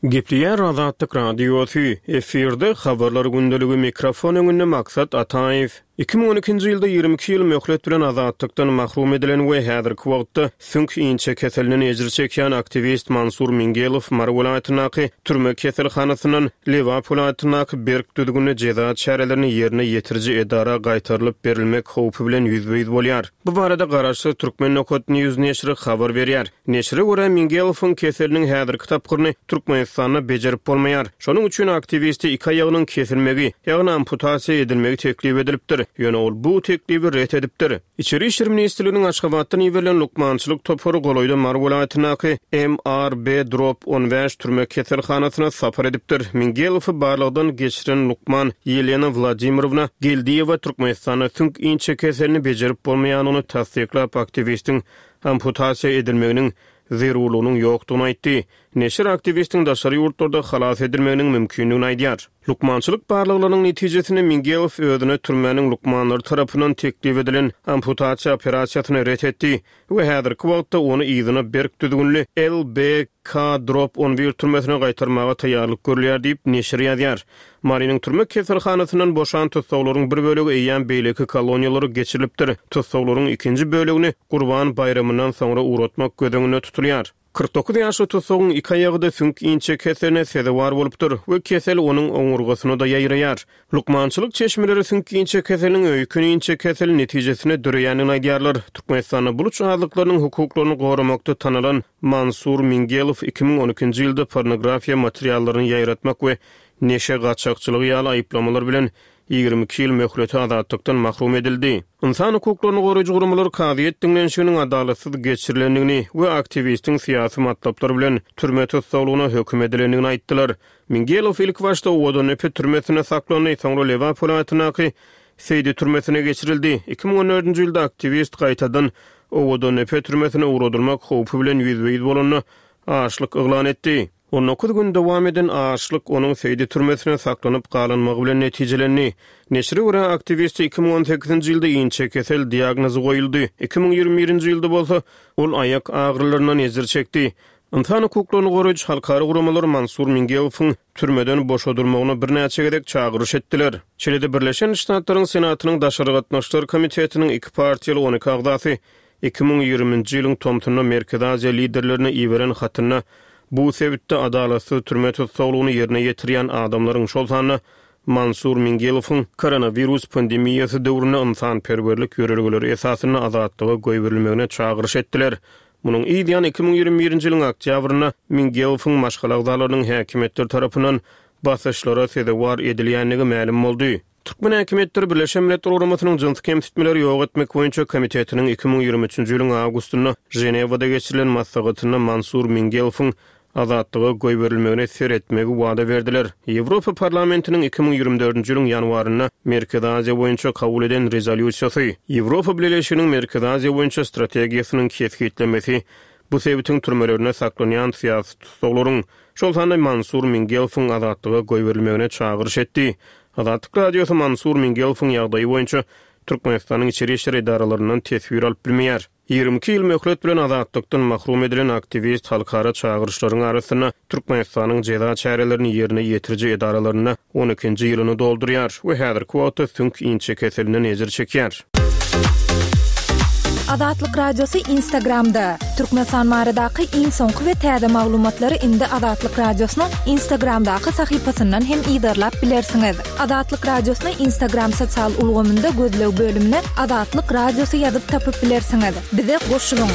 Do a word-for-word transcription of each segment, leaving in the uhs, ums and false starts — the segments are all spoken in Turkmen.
Gepleýär Azatlyk Radiosy, efirde Habarlar gündeligi, mikrofon öňünde Maksat Ataýew. Iki müň on ikinji ýylda ýigrimi iki ýyl möhlet bilen azatlykdan mahrum edilen we häzirki wagtda süňk inçekeselinden ejir çekýän aktiwist Mansur Mingelow Mary welaýatyndaky türme keselhanasyndan Lebap welaýatyndaky berk düzgünli jeza çärelerini ýerine ýetiriji edara gaýtarylyp berilmek howpy bilen ýüzbe-ýüz bolýar. Bu barada garaşsyz Turkmen nokat News neşiri habar berýär. Neşire görä, Mingelowyň keseliniň häzirki tapgyryny Türkmenistanda bejerip bolmaýar. Şonuň üçin aktiwiste iki aýagynyň kesilmegi, ýagny amputasiýa edilmegi teklip edilipdir. Ýöne ol bu teklibi ret edipdir. Içeri işler ministrliginiň Aşgabatdan iberilen lukmançylyk topary golaýda Mary welaýatyndaky M R B drop on bäş türme keselhanasyna sapar edipdir. Mingelowy barlagdan geçiren lukman Ýelena Wladimirowna Geldiýewa Türkmenistanda süňk inçekeselini bejerip bolmaýandygyny tassyklap, aktiwistiň amputasiýa edilmeginiň zerurlygynyň ýokdugyny aýtdy. Neşir aktiwistiň daşary ýurtlarda halas edilmeginiň mümkindigini aýdýar. Lukmançylyk barlaglarynyň netijesinde Mingelow özüne türmäniň lukmanlary tarapyndan teklip edilen amputasiýa operasiýasyny ret etdi we häzirki wagtda ony yzyna berk düzgünli L B K drop on bir türmesine gaýtarmaga taýýarlyk görülýär diýip, neşir ýazýar. Marynyň türme keselhanasyndan boşan tussaglaryň bir bölegi eýýäm beýleki koloniýalara geçirilipdir. Tussaglaryň ikinji bölegini Gurban baýramyndan soňra ugratmak göz öňünde tutulýar. Kyrk dokuz ýaşly tussagyň iki aýagy-da süňk inçekeseline sezewar bolupdyr we kesel onuň oňurgasyna-da ýaýraýar. Lukmançylyk çeşmeleri süňk inçekeseliniň öýken inçekeseli netijesinde döreýändigini aýdýarlar. Türkmenistanda buluç azlyklarynyň hukuklaryny goramakda tanalan Mansur Mingelow iki müň on ikinji ýylda pornografiýa materiallaryny ýaýratmak we neşe gaçakçylygy ýaly aýyplamalar bilen ýigrimi iki ýyl möhlete azatlykdan mahrum edildi. Ynsan hukuklaryny goraýjy guramalar kazyýet diňlenişiginiň adalatsyz geçirilendigini we aktiwistiň syýasy matlaplar bilen türme tussaglygyna höküm edilendigini aýtdylar. Mingelow ilk başda Owadandepe türmesinde saklandy, soňra Lebap welaýatyndaky Seýdi türmesine geçirildi. Iki müň on dördünji ýylda aktiwist gaýtadan Owadandepe türmesine ugradylmak howpy bilen ýüzbe-ýüz bolanda açlyk yglan etdi. On dokuz gün dowam eden açlyk onuň Seýdi türmesine saklanyp galynmagy bilen netijelendi. Neşire görä, aktiwiste iki müň on sekizinji ýylda inçekesel diagnozy goýuldy. Iki müň ýigrimi birinji ýylda bolsa ol aýak agyrylaryndan ejir çekdi. Ynsan hukuklaryny goraýjy halkara guramalar Mansur Mingelowyň türmeden boşadylmagyna birnäçe gezek çagyryş etdiler. Şeýle-de Birleşen Ştatlaryň Senatynyň Daşary gatnaşyklar komitetiniň iki partiýaly on iki agzasy iki müň ýigriminji ýylyň tomsunda Merkezi Aziýa liderlerine iberen hatynda bu sebitde adalatsyz türme tussaglygyny ýerine ýetirýän adamlaryň, şol sanda Mansur Mingelowyň koronawirus pandemiýasy döwründe ynsanperwerlik ýörelgeleri esasynda azatlyga goýberilmegine çagyryş etdiler. Munuň yz ýany iki müň ýigrimi birinji ýylyň oktýabrynda Mingelowyň maşgala agzalarynyň häkimiýetler tarapyndan basyşlara sezewar edilýändigi mälim boldy. Türkmen häkimiýetleri Birleşen Milletler Guramasynyň jynsy kemsitmeleri ýok etmek boýunça komitetiniň iki müň ýigrimi üçünji ýylyň awgustynda Ženewada geçirilen maslahatynda Mansur Mingelowyň azatlyga goýberilmegine seretmegi wada berdiler. Ýewropa Parlamentiniň iki müň ýigrimi dördünji ýylyň ýanwarynda Merkezi Aziýa boýunça kabul eden rezolýusiýasy, Ýewropa Bileleşiginiň Merkezi Aziýa boýunça strategiýasynyň kesgitlemesi bu sebitiň türmelerinde saklanýan syýasy tussaglaryň, şol sanda Mansur Mingelowyň azatlyga goýberilmegine çagyryş etdi. Azatlyk Radiosy Mansur Mingelowyň ýagdaýy boýunça Türkmenistanyň içeri işler edaralaryndan teswir alyp bilmeýär. Ýigrimi iki ýyl möhlet bilen azatlykdan mahrum edilen aktiwist halkara çagyryşlaryň arasynda Türkmenistanyň jeza çärelerini ýerine ýetiriji edaralarynda on ikinji ýylyny doldurýar we häzirki wagtda süňk inçekeselinden ejir çekýär. Azatlyk Radiosy Instagramda. Türkmenistan baradaky iň soňky we täze maglumatlary indi Azatlyk Radiosynyň Instagramdaky sahypasyndan hem yzarlap bilersiňiz. Azatlyk Radiosyny Instagram sosial ulgamynda gözleg bölümine Azatlyk Radiosy ýazyp tapyp bilersiňiz. Bize goşulyň.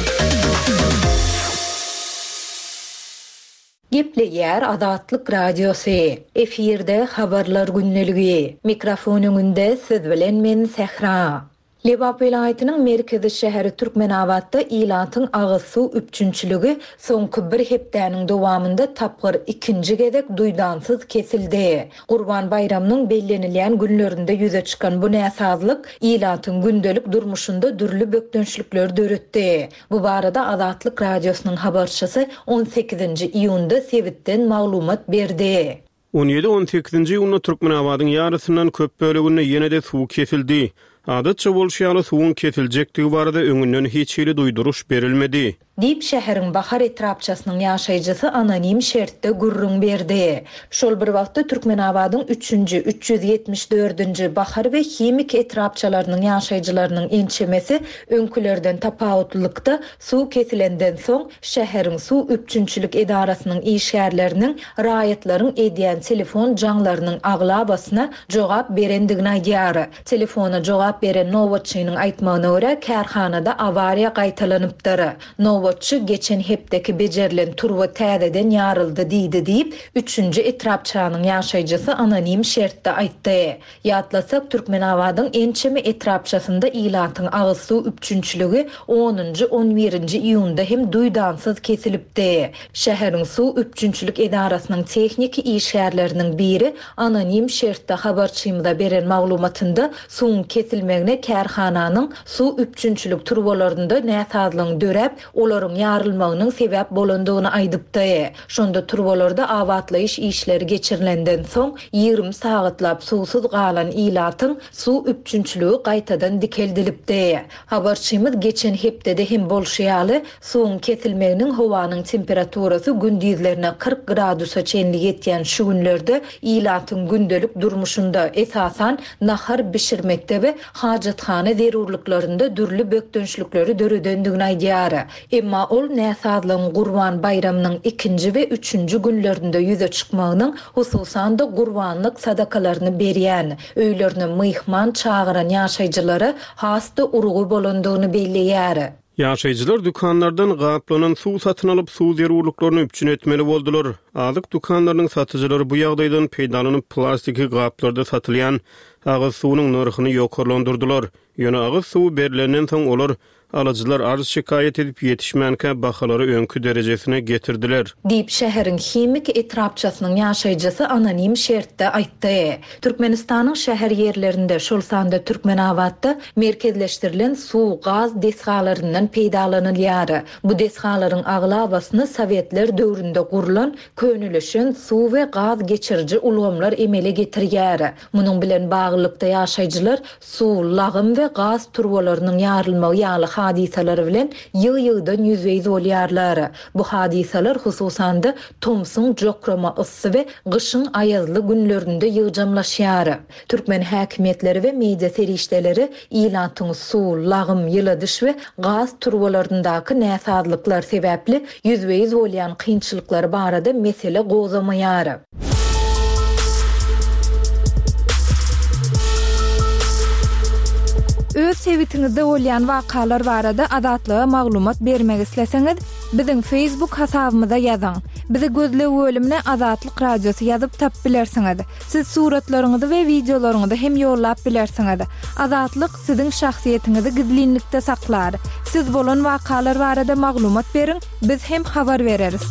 Gepleýär Azatlyk Radiosy. Efirde habarlar gündeligi. Mikrofon öňünde siz bilen men Sähra. Lebap welaýatynyň merkezi şäheri Türkmenabatda ilatyň agyz suw üpjünçiligi soňky bir hepdäniň dowamynda tapgyr ikinji gezek duýdansyz kesildi. Gurban baýramynyň bellenilýän günlerinde ýüze çykan bu näsazlyk ilatyň gündelik durmuşynda dürli bökdençlikler döretdi. Bu barada Azatlyk Radiosynyň habarçysy on sekizinji iýunda sebitden maglumat berdi. On ýedi on sekizinji iýunda Türkmenabadyň ýarysyndan köp böleginde ýene-de suw kesildi. Adatça bolşy ýaly suwuň kesiljekdigi barada öňünden hiç hili duýduryş berilmedi. Diýip, şäheriň Bahar etrapçasynyň ýaşaýjysy anonim şertde gürrüň berdi. Şol bir wagtda, Türkmenabadyň üçünji, üç ýüz ýetmiş dördünji, Bahar we Himik etrapçalarynyň ýaşaýjylarynyň ençemesi öňkülerden tapawutlylykda, suw kesilenden soň, şäheriň suw üpjünçilik edarasynyň işgärleriniň raýatlaryň edýän telefon jaňlarynyň aglabasyna jogap berendigini aýdýar. Telefona jogap beren nobatçynyň aýtmagyna görä, kärhanada awariýa gaýtalanypdyr. Nobatçy geçen hepdeki bejerilen turba täzeden ýaryldy diýdi diýip, üçünji etrapçanyň ýaşaýjysy anonim şertde aýtdy. Ýatlasak, Türkmenabadyň ençeme etrapçasynda ilatyň agyz suw üpjünçiligi onunjy, on birinji iýunda hem duýdansyz kesilipdi. Şäheriň suw üpjünçilik edarasynyň tehniki işgärleriniň biri anonim şertde habarçymyza beren maglumatynda suwuň kesilmegine kärhananyň suw üpjünçilik turbalarynda näsazlygyň döräp, olaryň ýarylmagynyň sebäp bolandygyny aýdypdy. Şonda turbalarda abatlaýyş işleri geçirilenden soň ýigrimi sagatlap suwsuz galan ilatyň suw üpjünçiligi gaýtadan dikeldilipdi. Habarçymyz geçen hepdede hem bolşy ýaly, suwuň kesilmeginiň howanyň temperaturasy gündizlerine kyrk gradusa çenli ýetýän şu günlerde ilatyň gündelik durmuşynda, esasan nahar bişirmekde we hajathana zerurlyklarynda dürli bökdençlikleri döredendigini aýdýar. Emma ol näsazlygyň Gurban baýramynyň ikinji we üçünji günlerinde ýüze çykmagynyň, hususan-da gurbanlyk sadakalaryny berýän, öýlerine myhman çagyran ýaşaýjylara has-da urgy bolandygyny belleýär. Ýaşaýjylar dükanlardan gaplanan suw satyn alyp, suw zerurlyklaryny üpjün etmeli boldular. Azyk dükanlarynyň satyjylary bu ýagdaýdan peýdalanyp, plastiki gaplarda satylýan agyz suwunyň nyrhyny ýokarlandyrdylar. Ýöne agyz suwy berilenden soň olar alyjylar arz şikaýat edip ýetişmänkä bahalary öňki derejesine getirdiler. Diýip, şäheriň Himik etrapçasynyň ýaşaýjysy anonim şertde aýtdy. Türkmenistanyň şäher ýerlerinde, şol sanda Türkmenabatda merkezleşdirilen suw, gaz desgalaryndan peýdalanylýar. Bu desgalaryň aglabasyny Sowetler döwründe gurlan, könelişen suw we gaz geçiriji ulgamlar emele getirýär. Munuň bilen baglylykda ýaşaýjylar suw, lagym we gaz turbalarynyň ýarylmagy ýaly hadysalary bilen ýygy-ýygydan ýüzbe-ýüz bolýarlar. Bu hadysalar hususan-da tomsuň jokrama yssy we gyşyň aýazly günlerinde ýygjamlaşýar. Türkmen häkimiýetleri we media serişdeleri ilatyň suw, lagym, ýyladyş we gaz turbalaryndaky näsazlyklar sebäpli ýüzbe-ýüz bolýan kynçylyklary barada mesele gozamaýar. Öz sebitiňizde bolýan wakalar barada Azatlyga maglumat bermek isleseňiz, biziň Facebook hasabymyza ýazyň. Bizi gözleg bölümine Azatlyk Radiosy ýazyp tap bilersiňiz. Siz suratlaryňyzy we wideolaryňyzy hem ýollap bilersiňiz. Azatlyk siziň şahsyýetiňizi gizlinlikde saklar. Siz bolan wakalar barada maglumat beriň, biz hem habar bereris.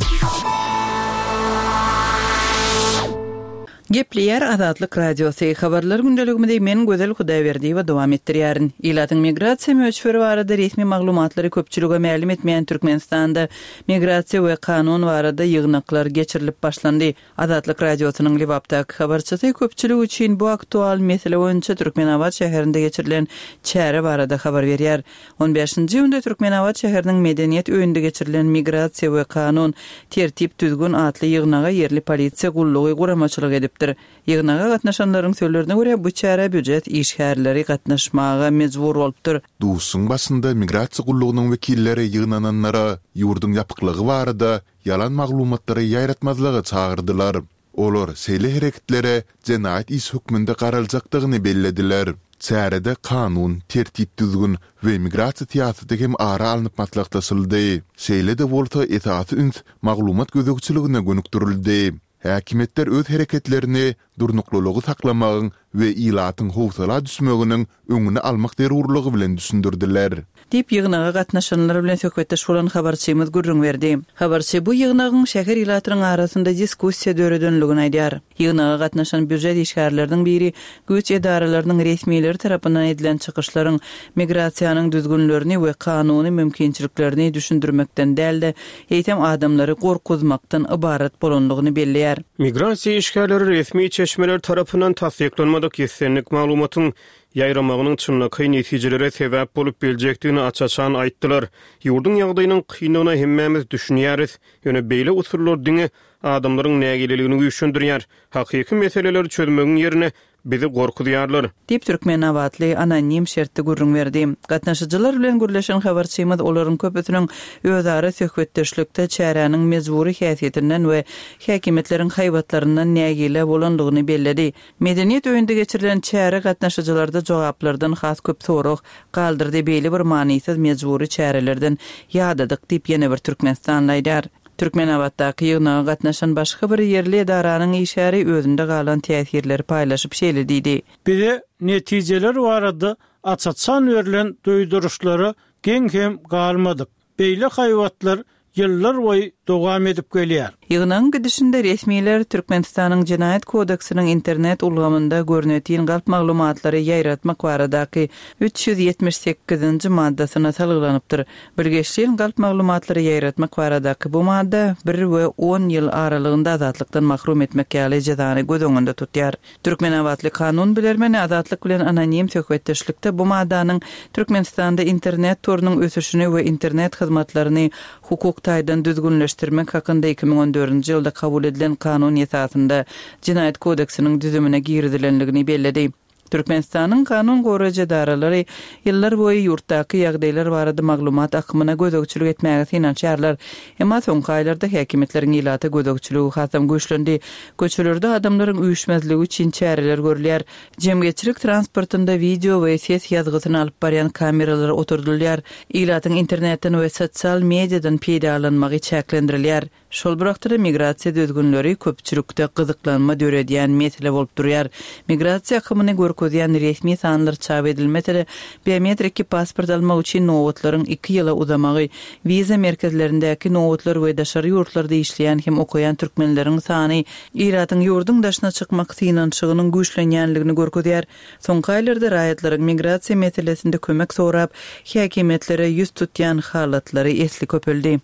Gepleýär Azatlyk Radiosy. Habarlar gündeligimizi men Gözel Hudaýberdiýewa dowam etdirýärin. Ilatyň migrasiýa möçberi barada resmi maglumatlary köpçülige mälim etmeýän Türkmenistanda migrasiýa we kanun barada ýygnaklar geçirilip başlandy. Azatlyk Radiosynyň Lebapdaky habarçysy köpçülik üçin bu aktual mesele boýunça Türkmenabat şäherinde geçirilen çäre barada habar berýär. On bäşinji iýunda Türkmenabat şäheriniň medeniýet öýünde geçirilen migrasiýa we kanun tertip düzgün atly ýygnaga ýerli polisiýa gullugy guramaçylyk edipdir. Ýygnaga gatnaşanlaryň sözlerine görä bu çäre býujet işgärleri gatnaşmaga mejbur bolupdyr. Duşuň başynda migrasiýa gullugynyň wekilleri ýygnananlara ýurduň ýapyklygy barada ýalan maglumatlary ýaýratmazlyga çagyrdylar. Olar şeýle hereketlere jenaýat iş hökmünde garaljakdygyny bellediler. Çärede kanun, tertip düzgün we migrasiýa syýasaty hem ara alnyp maslahatlaşyldy. Şeýle-de bolsa esasy üns maglumat gözegçiligine gönükdirildi. Häkimiýetler öz hereketlerini durnuklylygy saklamagyň we ilatyň howsala düşmeginiň öňüni almak zerurlygy bilen düşündirdiler. Diýip ýygnaga gatnaşanlar bilen söhbetdeş bolan habarçymyz gürrüň berdi. Habarçy bu ýygnagyň şäher ilatynyň arasynda diskussiýa döredenligini aýdýar. Ýygnaga gatnaşan býujet işgärleriniň biri güýç edaralarynyň resmileri tarapyndan edilen çykyşlaryň migrasiýanyň düzgünlerini we kanuny mümkinçiliklerini düşündirmekden däl-de, eýsem adamlary gorkuzmakdan ybarat bolanlygyny belleýär. Migrasiýa işgärleri resmi çeşmeler tarapyndan tassyklanmadyk tassyklamadyk islendik maglumatyň ýaýramagynyň çynlakaý netijelere sebäp bolup biljekdigini aç-açan aýtdylar. Ýurduň ýagdaýynyň kynlygyna hemmämiz düşünýäris. Ýöne beýle usullar diňe adamlaryň nägileligini güýçlendirýär. Hakyky meseleleri çözmegiň ýerine bizi gorkuzýarlar. Diýip, türkmenabatly anonim şertde gürrüň berdi. Gatnaşyjylar bilen gürleşen habarçymyz olaryň köpüsiniň özara söhbetdeşlikde çäräniň mejbury häsiýetinden we häkimiýetleriň haýbatlaryndan nägile bolandygyny belledi. Medeniýet öýünde geçirilen çäre gatnaşyjylarda jogaplardan has köp sorag galdyrdy, Beýle bir manysyz mejbury çärelerden ýadadyk diýip, ýene bir türkmenistanly aýdýar. Türkmenabatdaky ýygnaga gatnaşan başga bir ýerli edaranyň işgäri özünde galan täsirleri paýlaşyp şeýle diýdi. Bize netijeler barada aç-açan berlen duýduryşlara geň hem galmadyk. Beýle haýbatlar ýyllar boýy dowam edip gelýär. Ýygnagyň gidişinde resmiler Türkmenistanyň Jenaýat kodeksiniň internet ulgamynda görnetin galp maglumatlary ýaýratmak baradaky üç ýüz ýetmiş sekizinji maddasyna salgylanypdyr. Bilgeşleýin galp maglumatlary ýaýratmak baradaky bu madda bir we on ýyl aralygynda azatlykdan mahrum etmek ýaly jezany göz öňünde tutýar. Türkmenabatly kanun bilermeni Azatlyk bilen anonim söhbetdeşlikde bu maddanyň Türkmenistanda internet torunyň ösüşini we internet hyzmatlaryny hukuk taýdan düzgünleşdirmek hakynda iki müň on dördünji ýylda kabul edilen kanun esasynda Jenaýat kodeksiniň düzümine girizilendigini belledi. Türkmenistanyň kanun goraýjy edaralary ýyllar boýy ýurtdaky ýagdaýlar barada maglumat akymyna gözegçilik etmäge synanyşýarlar. Emma soňky aýlarda häkimiýetleriň ilata gözegçiligi hasam güýçlendi. Köçelerde adamlaryň üýşmezligi üçin çäreler görülýär. Jemgyýetçilik transportynda wideo we ses ýazgysyny alyp barýan kameralar oturdylýar. Ilatyň internetden we sosial mediadan peýdalanmagy çäklendirilýär. Şol bir wagtda-da migrasiýa düzgünleri köpçülikde gyzyklanma döredýän mesele bolup durýar. Migrasiýa akymyny görkezýän resmi sanlar çap edilmese-de, biometriki pasport almak üçin nobatlaryň iki ýyla uzamagy, wiza merkezlerindäki nobatlar we daşary ýurtlarda işleýän hem okaýan türkmenleriň sany ilatyň ýurduň daşyna çykmak synanyşygynyň güýçlenýänligini görkezýär. Soňky aýlarda raýatlaryň migrasiýa meselesinde kömek sorap, häkimiýetlere ýüz tutýan halatlary esli köpeldi.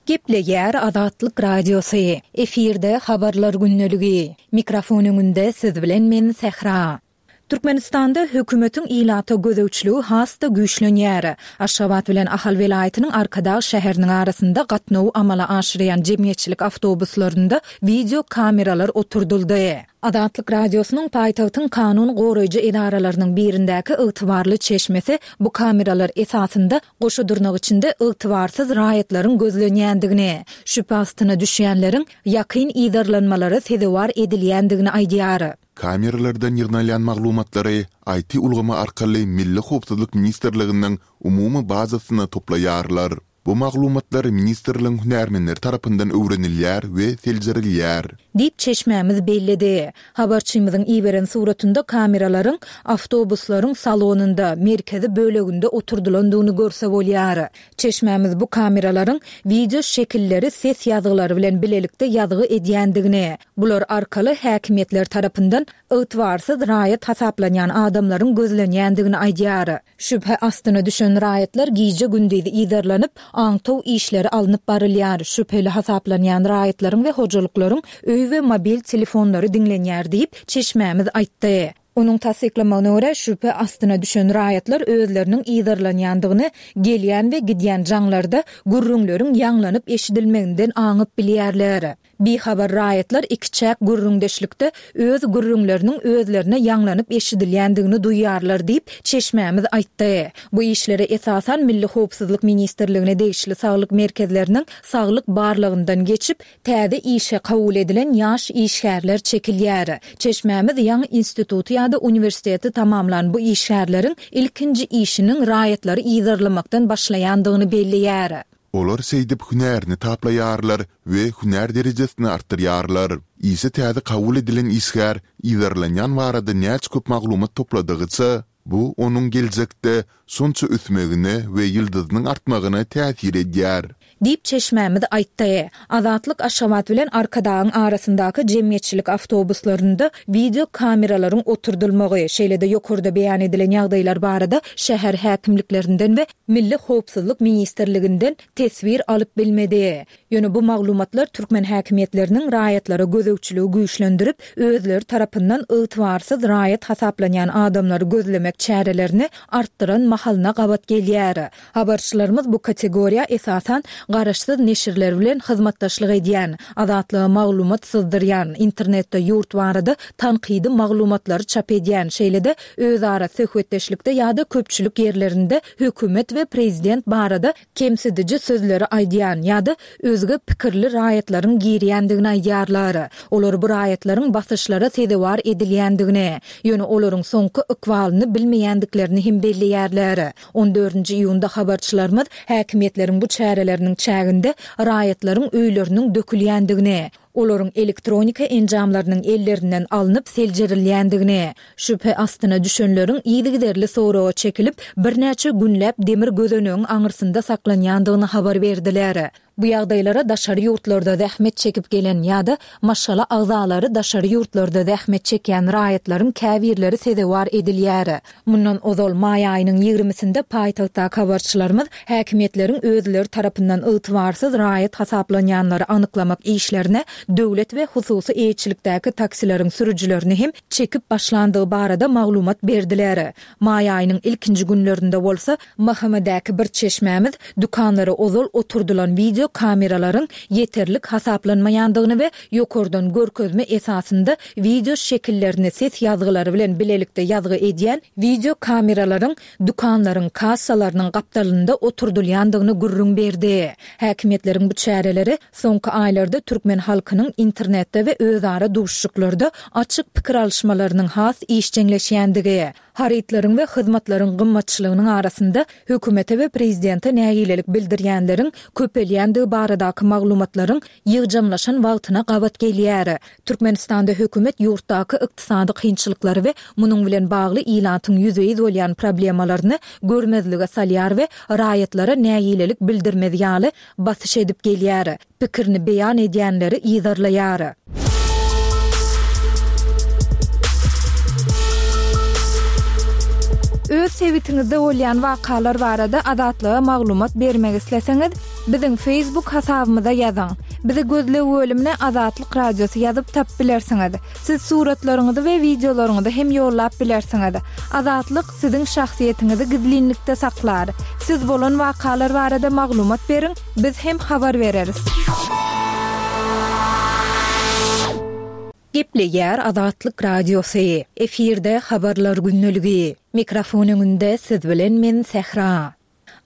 Gepleýär Azatlyk Radiosy. Efirde Habarlar gündeligi. Mikrofon öňünde siz bilen men Sähra. Türkmenistanda hökümetiň ilata gözegçiligi has-da güýçlenýär. Aşgabat bilen Ahal welaýatynyň Arkadag şäheriniň arasynda gatnawy amala aşyrýan jemgyýetçilik awtobuslarynda wideo kameralar oturdyldy. Azatlyk Radiosynyň paýtagtyň kanun goraýjy edaralarynyň birindäki ygtybarly çeşmesi bu kameralar esasynda goşa dyrnak içinde ygtybarsyz raýatlaryň gözlenýändigini, şübhe astyna düşýänleriň ýakyn yzarlanmalara sezewar edilýändigini aýdýar. Kameralardan ýygnalýan maglumatlary I T ulgamy arkaly Milli howpsuzlyk ministrliginiň umumy bazasyna toplaýarlar. Bu maglumatlar ministrligiň hünärmenleri tarapyndan öwrenilýär we seljerilýär. Diýip çeşmämiz belledi. Habarçymyzyň iberen suratynda kameralaryň awtobuslaryň salonynda, merkezi böleginde oturdylandygyny görse bolýar. Çeşmämiz bu kameralaryň wideo şekilleri ses ýazgylary bilen bilelikde ýazgy edýändigini, bular arkaly häkimiýetler tarapyndan ygtybarsyz raýat hasaplanýan adamlaryň gözlenýändigini aýdýar. Şübhe astyna düşen raýatlar gije-gündiz yzarlanyp, aňtaw işleri alnyp barylýar. Şübheli hasaplanýan raýatlaryň we hojalyklaryň öý we mobil telefonlary diňlenýär diýip, çeşmämiz aýtdy. Onuň tassyklamagyna görä, şübhe astyna düşen raýatlar özleriniň yzarlanýandygyny gelýän we gidýän jaňlarda gürrüňleriň ýaňlanyp eşidilmeginden aňyp bilýärler. Bihabar raýatlar iki çäk gürrüňdeşlikde öz gürrüňleriniň özlerine ýaňlanyp eşidilýändigini duýýarlar diýip, çeşmämiz aýtdy. Bu işlere esasan Milli Howpsuzlyk Ministrligine degişli saglyk merkezleriniň saglyk barlagyndan geçip, täze işe kabul edilen ýaş işgärler çekilýär. Çeşmämiz ýaňy instituty ýa-da uniwersiteti tamamlan bu işgärleriň ilkinji işiniň raýatlary yzarlamakdan başlaýandygyny belleýär. Olar şeýdip hünärini taplaýarlar we hünär derejesini artdyrýarlar. Işe täze kabul edilen işgär yzarlanýan barada näçe köp maglumat topladygyça, bu onuň geljekde şonça ösmegine we ýyldyzynyň artmagyna täsir edýär. Diýip, çeşmämiz aýtdy. Azatlyk Aşgabat bilen Arkadagyň arasyndaky jemgyýetçilik awtobuslarynda wideo kameralaryň oturdylmagy, şeýle-de ýokarda beýan edilen ýagdaýlar barada şäher häkimliklerinden we Milli howpsuzlyk ministrliginden teswir alyp bilmedi. Ýöne bu maglumatlar türkmen häkimiýetleriniň raýatlara gözegçiligi güýçlendirip, özleri tarapyndan ygtybarsyz raýat hasaplanýan adamlary gözlemek çärelerini artdyran mahalyna gabat gelýär. Habarçylarymyz bu kategoriýa esasan garaşsyz neşirler bilen hyzmatdaşlyk edýän, Azatlyga maglumat syzdyrýan, internetde ýurt barada tankydy maglumatlary çap edýän, şeýle-de özara söhbetdeşlikde ýa-da köpçülik ýerlerinde hökümet we prezident barada kemsidiji sözleri aýdýan ýa-da özge pikirli raýatlaryň girýändigini aýdýarlar. Olar bu raýatlaryň basyşlara sezewar edilýändigini, ýöne olaryň soňky ykbalyny bilmeýändiklerini hem belleýärler. On dördünji iýunda habarçylarymyz häkimiýetleriň bu çäreleriniň çäginde raýatlaryň öýleriniň dökülýändigini, olaryň elektronika enjamlarynyň ellerinden alnyp seljerilýändigini, şübhe astyna düşenleriň yzygiderli soraga çekilip, birnäçe günläp demir gözenegiň aňyrsynda saklanýandygyny habar berdiler. Bu ýagdaýlara daşary ýurtlarda zähmet çekip gelen ýa-da maşgala agzalary daşary ýurtlarda zähmet çekýän raýatlaryň käbirleri sezewar edilýär. Mundan ozal, maý aýynyň ýigrimisinde paýtagtdaky habarçylarymyz häkimiýetleriň özleri tarapyndan ygtybarsyz raýat hasaplanýanlary anyklamak işlerine döwlet we hususy eýeçilikdäki taksileriň sürüjilerini hem çekip başlandygy barada maglumat berdiler. Maý aýynyň ilkinji günlerinde bolsa, M H M-däki bir çeşmämiz dükanlara ozal oturdylan wideo kameralaryň ýeterlik hasaplanmaýandygyny we ýokardan görkezme esasynda wideo şekillerini ses ýazgylary bilen bilelikde ýazgy edýän wideo kameralaryň dükanlaryň kassalarynyň gapdalynda oturdylýandygyny gürrüň berdi. Häkimiýetleriň bu çäreleri soňky aýlarda türkmen halkynyň internetde we özara duşuşyklarda açyk pikir alyşmalarynyň has işjeňleşýändigi, harytlaryň we hyzmatlaryň gymmatçylygynyň arasynda hökümete we prezidente nägilelik bildirýänleriň köpelýändigi baradaky maglumatlaryň ýygjamlaşan wagtyna gabat gelýär. Türkmenistanda hökümet ýurtdaky ykdysady kynçylyklary we munuň bilen bagly ilatyň ýüzbe-ýüz bolýan problemalaryny görmezlige salýar we raýatlara nägilelik bildirmez ýaly basyş edip gelýär, pikirini beýan edýänleri yzarlaýar. Öz sebitiňizde bolýan wakalar barada Azatlyga maglumat bermek isleseňiz, biziň Facebook hasabymyza ýazyň. Bizi gözleg bölümine Azatlyk Radiosy ýazyp tapyp bilersiňiz. Siz suratlaryňyzy we wideolaryňyzy hem ýollap bilersiňiz. Azatlyk siziň şahsyýetiňizi gizlinlikde saklar. Siz bolan wakalar barada maglumat beriň, biz hem habar bereris. Gepleýär Azatlyk Radiosy. Efirde Habarlar gündeligi. Mikrofon öňünde siz bilen men Sähra.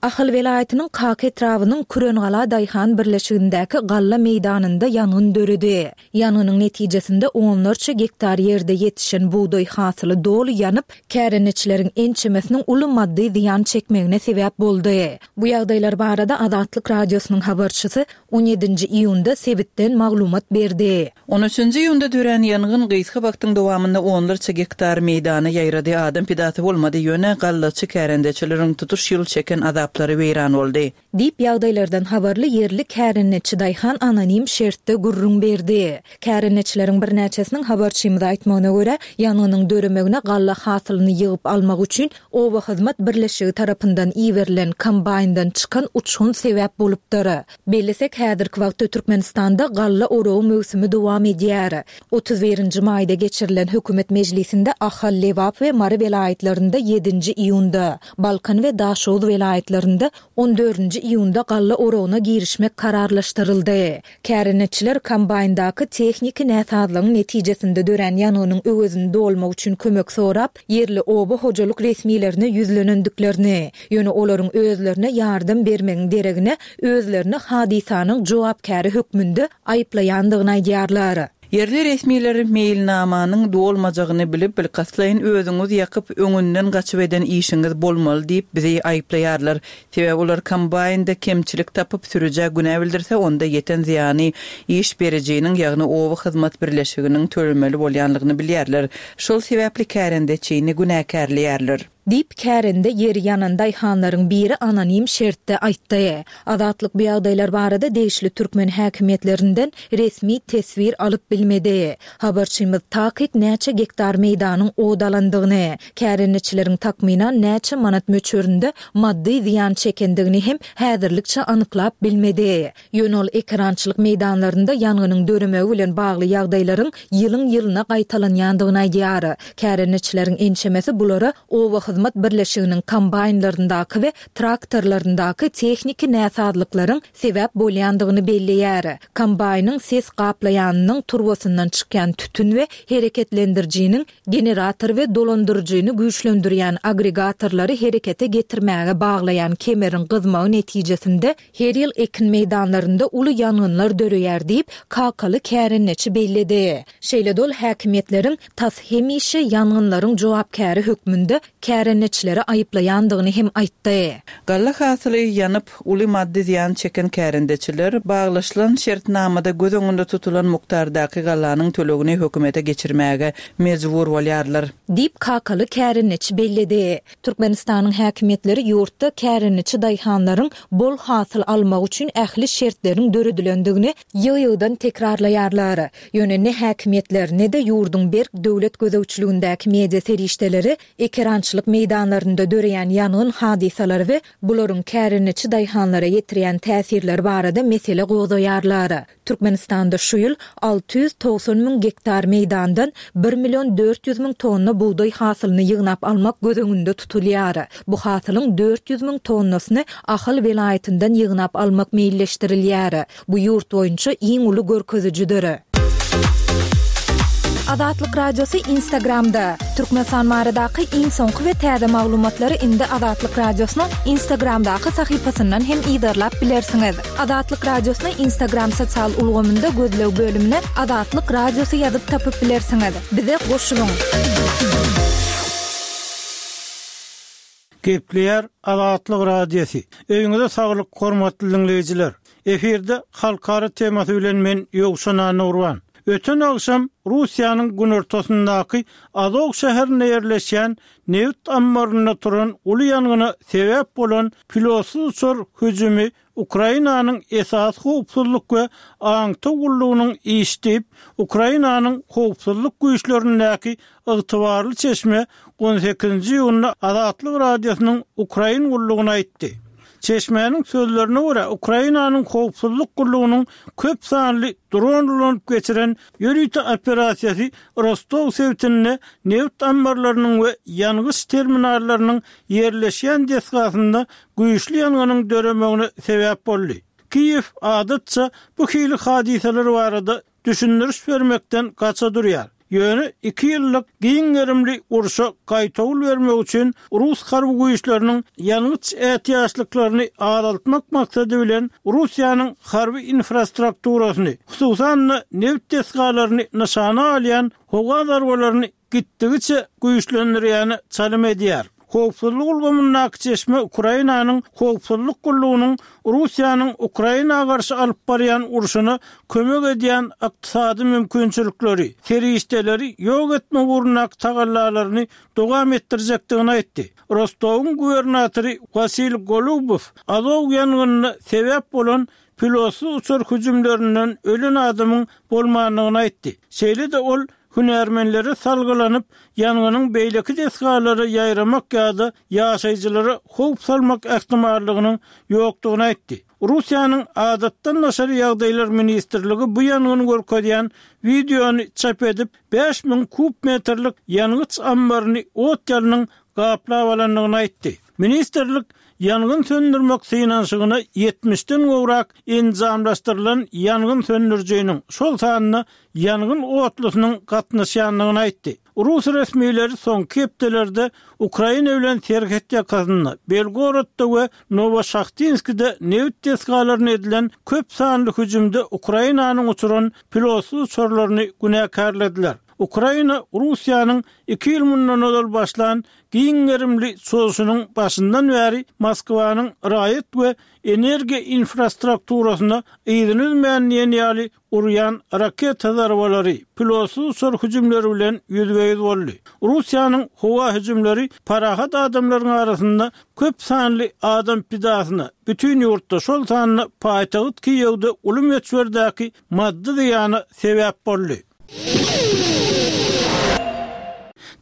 Ahal welaýatynyň Kaka etrabynyň Kürengala daýhan birleşigindäki galla meýdanynda ýangyn döredi. Ýangynyň netijesinde onlarça gektar ýerde ýetişen bugdaý hasyly doly ýanyp, kärendeçileriň ençemesiniň uly maddy zyýan çekmegine sebäp boldy. Bu ýagdaýlar barada Azatlyk Radiosynyň habarçysy on ýedinji iýunda sebitden maglumat berdi. On üçünji iýunda dörän ýangyn gysga wagtyň dowamynda onlarça gektar meýdana ýaýrady, adam pidasy bolmady, ýöne gallaçy kärendeçileriň tutuş ýyl çeken azaplary weýran boldy. Diýip, ýagdaýlardan habarly ýerli kärendeçi daýhan anonim şertde gürrüň berdi. Kärendeçileriň birnäçesiniň habarçymyza aýtmagyna görä, ýangynyň döremegine galla hasylyny ýygyp almak üçin oba hyzmat birleşigi tarapyndan iberilen kombaýndan çykan uçgun sebäp bolupdyr. Bellesek, häzirki wagtda Türkmenistanda galla oragy möwsümi dowam edýär. Otuz birinji maýda geçirilen hökümet mejlisinde Ahal, Lebap we Mary welaýatlarynda ýedinji iýunda, Balkan we Daşoguz welaýatlarynda on dördünji iýunda galla oragyna girişmek kararlaşdyryldy. Kärendeçiler kombaýndaky tehniki näsazlygyň netijesinde dörän ýangynyň öwezini dolmak üçin kömek sorap, ýerli oba hojalyk resmilerine ýüzlenendiklerini, ýöne olaryň özlerine ýardam bermegiň deregine özlerini hadysanyň jogapkäri hökmünde aýyplaýandygyny aýdýarlar. Ýerli resmiler meýilnamanyň dolmajagyny bilip, bilkastlaýyn özüňiz ýakyp, öňünden gaçyp eden işiňiz bolmaly diýip bizi aýyplaýarlar. Sebäbi olar kombaýnda kemçilik tapyp sürüjä günä bildirse, onda ýeten zyýany iş berijiniň, ýagny oba hyzmat birleşiginiň tölemeli bolýanlygyny bilýärler. Şol sebäpli kärendeçini günäkärleýärler. Diýip, kärende ýeri ýanan daýhanlaryň biri anonim şertde aýtdy. Azatlyk bu ýagdaýlar barada degişli türkmen häkimiýetlerinden resmi teswir alyp bilmedi. Habarçymyz takyk näçe gektar meýdanyň ot alandygyny, kärendeçileriň takmynan näçe manat möçberinde maddy zyýan çekendigini hem häzirlikçe anyklap bilmedi. Ýöne ol ekerançylyk meýdanlarynda ýangynyň döremegi bilen bagly ýagdaýlaryň ýylyň-ýylyna gaýtalanýandygyny aýdýar. Kärendeçileriň ençemesi bulara oba hyzmat birleşiginiň kombaýnlaryndaky we traktorlaryndaky tehniki näsazlyklaryň sebäp bolýandygyny belleýär. Kombaýnyň ses gaplaýanynyň turbasyndan çykýan tütün we hereketlendirijiniň generator we dolandyryjyny güýçlendirýän agregatorlary herekete getirmäge baglaýan kemeriň gyzmagy netijesinde her ýyl ekin meýdanlarynda uly ýangynlar döreýär diýip, kakaly kärendeçi belledi. Şeýle-de ol häkimiýetleriň tas hemişe ýangynlaryň jogapkäri hökmünde kärendeçileri aýyplaýandygyny hem aýtdy. Galla hasyly ýanyp, uly maddy zyýan çeken kärendeçiler baglaşylan şertnamada göz öňünde tutulan mukdardaky gallanyň tölegini hökümete geçirmäge mejbur bolýarlar. Diýip, kakaly kärendeçi belledi. Türkmenistanyň häkimiýetleri ýurtda kärendeçi daýhanlaryň bol hasyl almagy üçin ähli şertleriň döredilendigini ýygy-ýygydan tekrarlaýarlar. Ýöne ne häkimiýetler, ne-de ýurduň berk döwlet gözegçiligindäki media serişdeleri ekerançylyk meýdanlarynda döreýän ýangyn hadysalary we bularyň kärendeçi daýhanlara ýetirýän täsirleri barada mesele gozgaýarlar. Türkmenistanda şu ýyl alty ýüz togsan müň gektar meýdandan bir million dört ýüz müň tonna bugdaý hasylyny ýygnap almak göz öňünde tutulýar. Bu hasylyň dört ýüz müň tonnasyny Ahal welaýatyndan ýygnap almak meýilleşdirilýär. Bu ýurt boýunça iň uly görkezijidir. Azatlyk Radiosy Instagramda. Türkmenistan baradaky iň soňky we täze maglumatlary indi Azatlyk Radiosynyň Instagramdaky sahypasyndan hem yzarlap bilersiňiz. Azatlyk Radiosyny Instagram sosial ulgamynda gözleg bölümine Azatlyk Radiosy ýazyp tapyp bilersiňiz. Bize goşulyň! Gepleýär Azatlyk Radiosy. Öýüňize saglyk hormatly diňleýjiler. Efirde halkara temasy bilen men Ýowşan Annagurban. Öten agşam Russiýanyň günortasyndaky Azow şäherinde ýerleşýän nebit ammarynda turan uly ýangyna sebäp bolan pilotsyz uçar hüjümi Ukrainanyň esasy howpsuzlyk we aňtaw gullugynyň işi diýip, Ukrainanyň howpsuzlyk güýçlerindäki ygtybarly çeşme on sekizinji iýunda Azatlyk Radiosynyň Ukrain gullugyna aýtdy. Çeşmäniň sözlerine görä, Ukrainanyň howpsuzlyk gullugynyň köp sanly dron ulanyp geçiren ýörite operasiýasy Rostow sebitinde nebit ammarlarynyň we ýangyç terminallarynyň ýerleşýän desgasynda güýçli ýangynyň döremegine sebäp boldy. Kiýew adatça bu hili hadysalar barada düşündiriş bermekden gaça durýar. Ýöne iki ýyllyk giň gerimli urşa gaýtawul bermek üçin rus harby güýçleriniň ýangyç ätiýaçlyklaryny azaltmak maksady bilen Russiýanyň harby infrastrukturasyny, hususan-da nebit desgalaryny nyşana alýan howa zarbalaryny gitdigiçe güýçlendirýäne çalym edýär. Howpsuzlyk ulgamyndaky çeşme Ukrainanyň howpsuzlyk gullugynyň Russiýanyň Ukraina garşy alyp barýan urşuna kömek edýän ykdysady mümkinçilikleri, serişdeleri ýok etmek ugrundaky tagallalaryny dowam etdirjekdigini aýtdy. Rostowyň gubernatory Wasil Golubow Azow ýangynyna sebäp bolan pilotsyz uçar hüjümlerinden ölen adamyň bolmandygyny aýtdy. Şeýle-de ol hünärmenlere salgylanyp, ýangynyň beýleki desgalara ýaýramak ýa-da ýaşaýjylara howp salmak ähtimallygynyň ýokdugyny aýtdy. Russiýanyň Adatdan daşary ýagdaýlar ministrligi bu ýangyny görkezýän wideony çap edip, bäş müň kub metrlik ýangyç ammaryny ot ýalnyň gaplap alandygyny aýtdy. Ministrlik ýangyn söndürmek synanyşygyna ýetmişden gowrak enjamlaşdyrylan ýangyn söndürijiniň, şol sanda ýangyn otlusynyň gatnaşýandygyny aýtdy. Rus resmileri soňky hepdelerde Ukraina bilen serhet ýakasynda, Belgorodda we Nowoşahtinskide nebit desgalaryna edilen köp sanly hüjümde Ukrainanyň uçuran pilotsyz uçarlaryny günäkärlediler. Ukraina Russiýanyň iki ýyl mundan ozal başlan giň gerimli çozuşynyň başyndan bäri Moskwanyň raýat we energiýa infrastrukturasyna yzyny üzmän diýen ýaly urýan raketa zarbalary, pilotsyz uçar hüjümleri bilen ýüzbe-ýüz boldy. Russiýanyň howa hüjümleri parahat adamlaryň arasynda köp sanly adam pidasyna, bütin ýurtda, şol sanda paýtagt Kiýewde uly möçberdäki maddy zyýana sebäp boldy.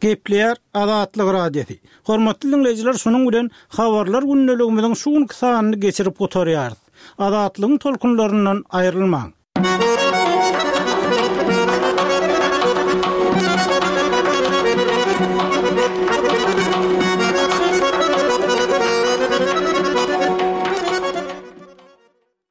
Gepleýär Azatlyk Radiosy. Hormatly diňleýjiler, şunuň bilen Habarlar gündeligimiziň şu günki sanyny geçirip gutarýarys. Azatlygyň tolkunlaryndan aýrylmaň!